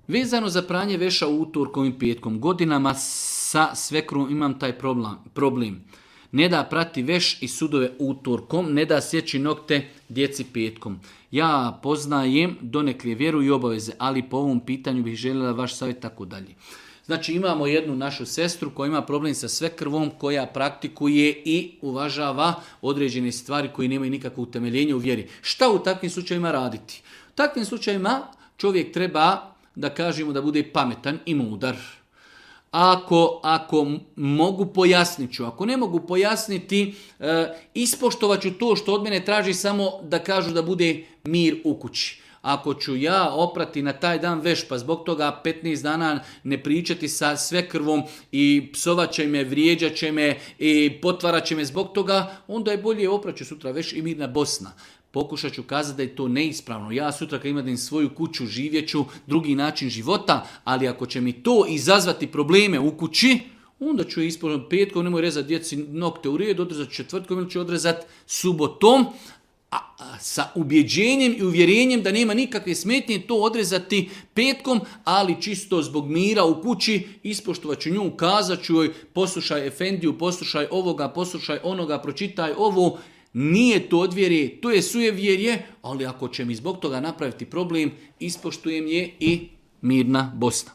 Vezano za pranje veša utorkom i petkom, godinama sa svekrom imam taj problem. Ne da prati veš i sudove utorkom, ne da sjeći nokte djeci petkom. Ja poznajem donekle vjeru i obaveze, ali po ovom pitanju bih željela vaš savjet tako dalje. Znači imamo jednu našu sestru koja ima problem sa svekrvom, koja praktikuje i uvažava određene stvari koje nemaju nikakvo utemeljenje u vjeri. Šta u takvim slučajevima raditi? U takvim slučajevima čovjek treba, da kažemo, da bude pametan i mudar. Ako mogu, pojasnit ću. Ako ne mogu pojasniti, ispoštovat ću to što od mene traži, samo da kažu da bude mir u kući. Ako ću ja oprati na taj dan veš, pa zbog toga 15 dana ne pričati sa svekrvom i psovat će me, vrijeđat će me i potvarat će me zbog toga, onda je bolje opraću sutra veš i mirna Bosna. Pokušat ću kazati da je to neispravno. Ja sutra kad imam svoju kuću, živjet ću drugi način života, ali ako će mi to izazvati probleme u kući, onda ću je ispoštiti petkom, nemoj rezati djeci nokte u redu, odrezati četvrtkom ili ću odrezati subotom, sa ubjeđenjem i uvjerenjem da nema nikakve smetnje to odrezati petkom, ali čisto zbog mira u kući ispoštovat ću nju, kazat ću joj poslušaj efendiju, poslušaj ovoga, poslušaj onoga, pročitaj ovo. Nije to od vjere, to je sujevjerje, ali ako će mi zbog toga napraviti problem, ispoštujem je i mirna Bosna.